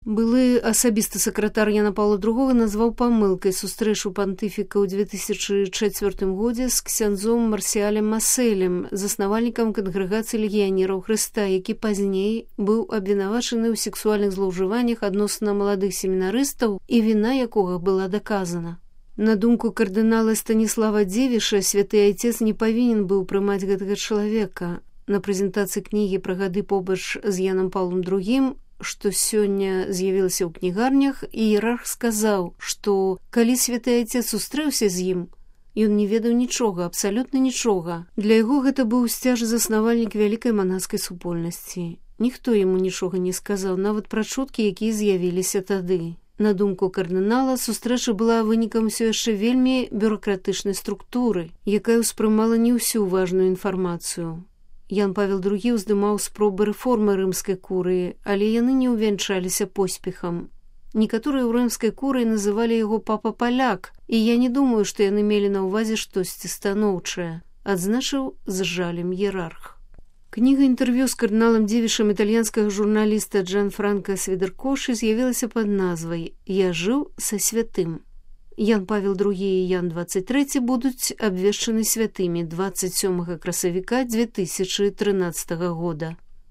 Былы асабісты сакратар Яна Паўла II назваў памылкай сустрэчу пантыфіка ў 2004 годзе з ксяндзом Марсіалем Маселем, заснавальнікам кангрэгацыі легіянераў Хрыста, які пазней быў абвінавачаны ў сексуальных злоўжываннях адносна маладых семінарыстаў і віна якога была даказана. На думку кардынала Станіслава Дзевіша, святы айцец не павінен быў прымаць гэтага чалавека. На прэзентацыі кнігі пра гады побач з Янам Паўлам II, што сёння з'явілася ў кнігарнях, іерарх сказаў, што калі святы айцец сустрэўся з ім, ён не ведаў нічога, абсалютна нічога. Для яго гэта быў сцяж-заснавальнік вялікай манаскай супольнасці. Ніхто яму нічога не сказаў, нават пра чуткі, якія з'явіліся тады. На думку кардынала, сустрэча была вынікам усё яшчэ вельмі бюракратычнай структуры, якая ўспрымала не ўсю важную інфармацыю. Ян Павел II ўздымаў спробы рэформы рымскай курыі, але яны не ўвянчаліся поспехам. Некаторыя ў рымскай курыі называлі яго папа-паляк, і я не думаю, што яны мелі на ўвазе штосьці станоўчае, адзначыў з жалем іерарх. Кніга інтэрв'ю з кардыналам Дзевішам італьянскага журналіста Джанфранка Свідеркоші з'явілася пад назвай «Я жыў са святым». Ян Павел II і Ян 23 будуць абвешчаны святымі 27 красавіка 2013 года.